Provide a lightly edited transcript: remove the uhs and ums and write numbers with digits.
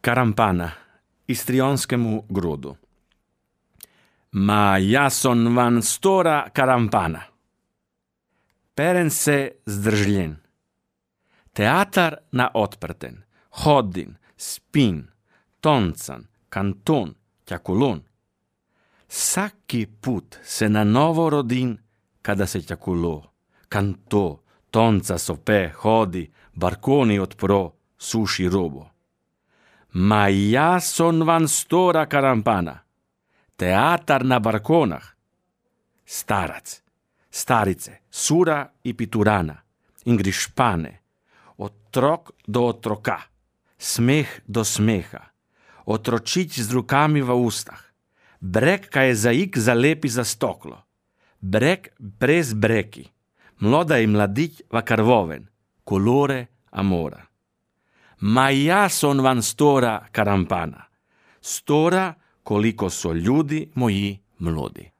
Karampana, istrionskemu grodu. Ma jason van stora Karampana. Peren se zdržljen. Teatar na otprten, hodin, spin, toncan, kanton, tjakulon. Saki put se na novo rodin, kada se tjakulo, kanto, tonca sope, hodi, barkoni odpro, suši robo. Ma jason van stora Karampana. Teatar na barkonah. Starac, starice, sura i piturana, ingrišpane, otrok do otroka, smeh do smeha, otročić z rukami v ustah, brek kaj je zaik zalepi za stoklo, brek brez breki, mloda i mladić va karvoven, kolore amora. Ma jason van stora Karampana, stora koliko so ljudi moji mlodi.